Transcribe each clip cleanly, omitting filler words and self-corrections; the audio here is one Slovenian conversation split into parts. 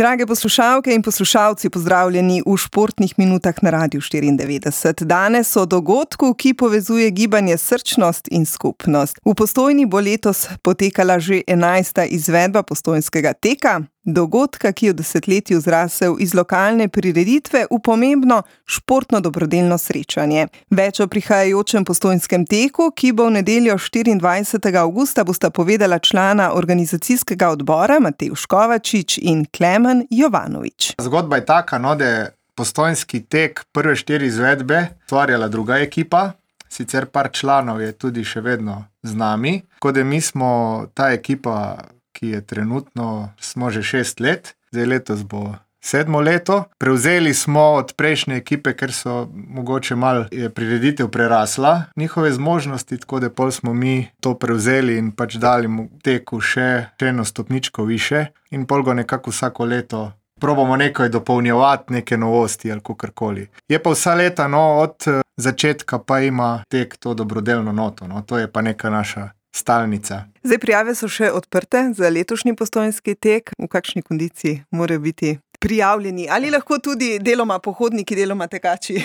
Drage poslušalke in poslušalci, pozdravljeni v Športnih minutah na Radiu 94. Danes o dogodku, ki povezuje gibanje Srčnost in skupnost. V Postojni bo letos potekala že 11. izvedba postojnskega teka, dogodka, ki je v desetletju zrasel iz lokalne prireditve v pomembno športno dobrodelno srečanje. Več o prihajajočem postojnskem teku, ki bo v nedeljo 24. avgusta, bosta povedala člana organizacijskega odbora Matevž Kovačič in Klemen Jovanovič. Zgodba je taka, da je postojnski tek prve 4 izvedbe ustvarjala druga ekipa, sicer par članov je tudi še vedno z nami, tako da mi smo ta ekipa, ki je trenutno, smo že 6 let, zdaj letos bo 7. leto. Prevzeli smo od prejšnje ekipe, ker so mogoče malo je prireditev prerasla njihove zmožnosti, tako da pol smo mi to prevzeli in pač dali mu teku še eno stopničko više in pol go nekako vsako leto probamo nekaj dopolnjevati, neke novosti ali kakorkoli. Je pa vsa leta, od začetka pa ima tek to dobrodelno noto, to je pa neka naša stalnica. Zdaj prijave so še odprte za letošnji postojnski tek. V kakšni kondiciji morajo biti prijavljeni? Ali lahko tudi deloma pohodniki, deloma tekači?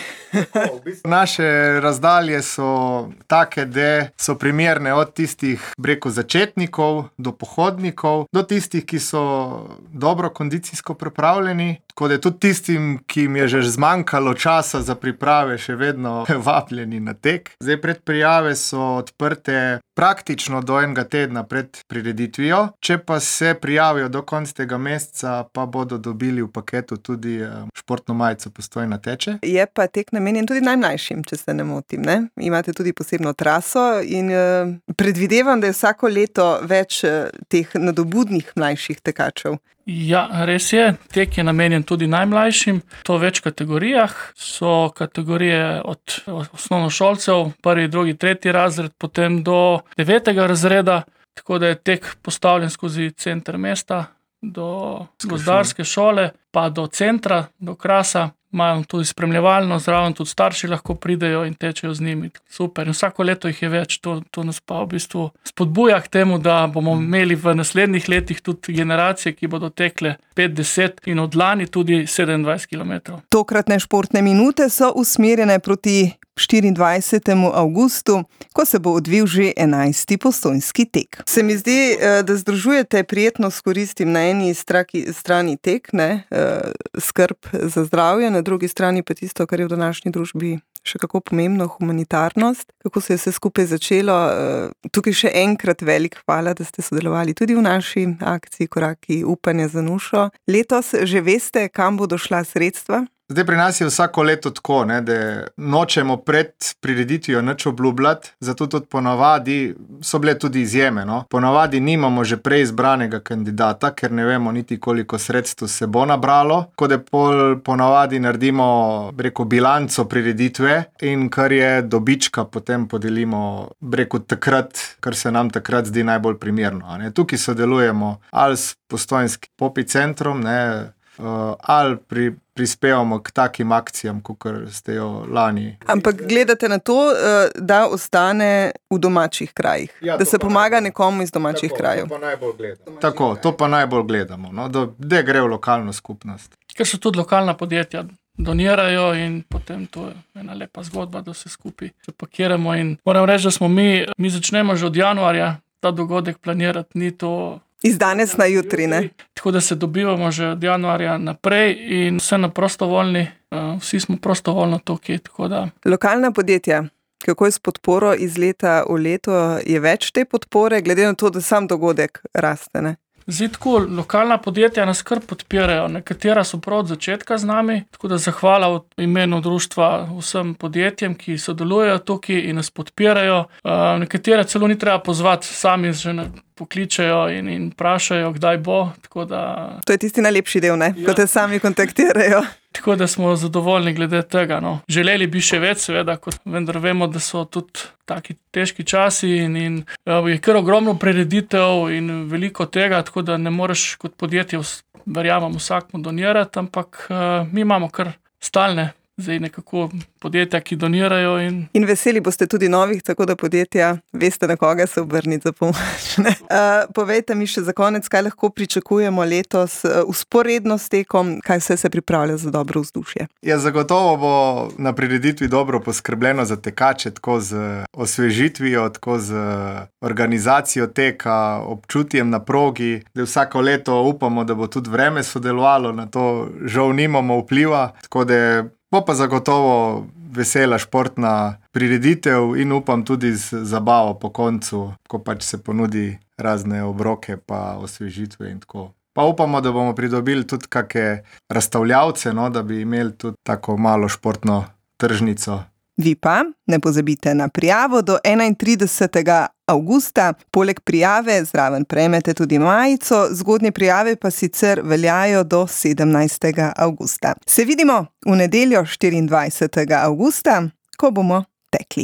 Naše razdalje so take, da so primerne od tistih začetnikov do pohodnikov, do tistih, ki so dobro kondicijsko pripravljeni, tako da tudi tistim, ki jim je že zmanjkalo časa za priprave, še vedno vabljeni na tek. Zdaj predprijave so odprte praktično do enega tedna pred prireditvijo. Če pa se prijavijo do konca tega meseca, pa bodo dobili v paketu tudi športno majico Postojna teče. Je pa tek namenjen tudi najmlajšim, če se ne motim, ne? Imate tudi posebno traso in predvidevam, da je vsako leto več teh nadobudnih mlajših tekačev. Ja, res je. Tek je namenjen tudi najmlajšim. To v več kategorijah. So kategorije od osnovnošolcev, 1., 2., 3. razred, potem do 9. razreda, tako da je tek postavljen skozi center mesta, do gozdarske šole, pa do centra, do Krasa. Imajo tudi spremljevalno, zraven tudi starši lahko pridejo in tečejo z njimi. Super. In vsako leto jih je več. To nas pa v bistvu spodbuja k temu, da bomo imeli v naslednjih letih tudi generacije, ki bodo tekle 5-10 in od lani tudi 27 km. Tokratne športne minute so usmerjene proti 24. avgustu, ko se bo odvil že 11. postojnski tek. Se mi zdi, da združujete prijetno s koristim na eni strani tek, skrb za zdravje, na drugi strani pa tisto, kar je v današnji družbi še kako pomembno, humanitarnost. Kako se je vse skupaj začelo? Tukaj še enkrat velik hvala, da ste sodelovali tudi v naši akciji Koraki upanja za Nušo. Letos že veste, kam bodo šla sredstva? Zdaj pri nas je vsako leto tako, da nočemo pred prireditvijo nič obljubljati, zato tudi ponavadi so bile tudi izjeme. Ponavadi nimamo že prej izbranega kandidata, ker ne vemo niti koliko sredstev se bo nabralo, tako da ponavadi naredimo bilanco prireditve in kar je dobička, potem podelimo takrat, kar se nam takrat zdi najbolj primerno. Tukaj sodelujemo ali s Postojnskim popi centrom, ali prispevamo k takim akcijam, kot ste jo lani. Ampak gledate na to, da ostane v domačih krajih, da se pomaga nekomu iz domačih krajev. To pa najbolj gledamo, da gre v lokalno skupnost. Ker so tudi lokalna podjetja donirajo in potem to je ena lepa zgodba, da se skupaj zapakiramo in moram reči, da smo mi začnemo že od januarja ta dogodek planirati, ni to iz danes na jutri, ne? Tako da se dobivamo že od januarja naprej in vse na prostovoljni, vsi smo prostovoljno tukaj, tako da. Lokalna podjetja, kako je s podporo iz leta v leto? Je več te podpore, glede na to, da sam dogodek raste, ne? Zdaj tako, lokalna podjetja nas kar podpirajo, nekatera so prav od začetka z nami, tako da zahvala v imenu društva vsem podjetjem, ki sodelujejo tukaj in nas podpirajo. Nekatere celo ni treba pozvati, sami že pokličejo in vprašajo, kdaj bo, tako da. To je tisti najlepši del, ne? Ko te sami kontaktirajo. Tako da smo zadovoljni glede tega, Želeli bi še več, seveda, vendar vemo, da so tudi taki težki časi in je kar ogromno prireditev in veliko tega, tako da ne moreš kot podjetje, verjamem, vsakmu donirati, ampak mi imamo kar stalne zdaj nekako podjetja, ki donirajo. In veseli boste tudi novih, tako da podjetja veste, na koga se obrniti za pomoč. Povejte mi še za konec, kaj lahko pričakujemo letos vzporedno s tekom, kaj vse se pripravlja za dobro vzdušje. Ja, zagotovo bo na prireditvi dobro poskrbljeno za tekače, tako z osvežitvijo, tako z organizacijo teka, občutjem na progi. Vsako leto upamo, da bo tudi vreme sodelovalo, na to žal nimamo vpliva, tako da bo pa zagotovo vesela športna prireditev in upam tudi z zabavo po koncu, ko pač se ponudi razne obroke pa osvežitve in tako. Pa upamo, da bomo pridobili tudi kakšne razstavljavce, da bi imeli tudi tako malo športno tržnico. Vi pa ne pozabite na prijavo do 31. avgusta. Poleg prijave zraven prejmete tudi majico, zgodnje prijave pa sicer veljajo do 17. avgusta. Se vidimo v nedeljo 24. avgusta, ko bomo tekli.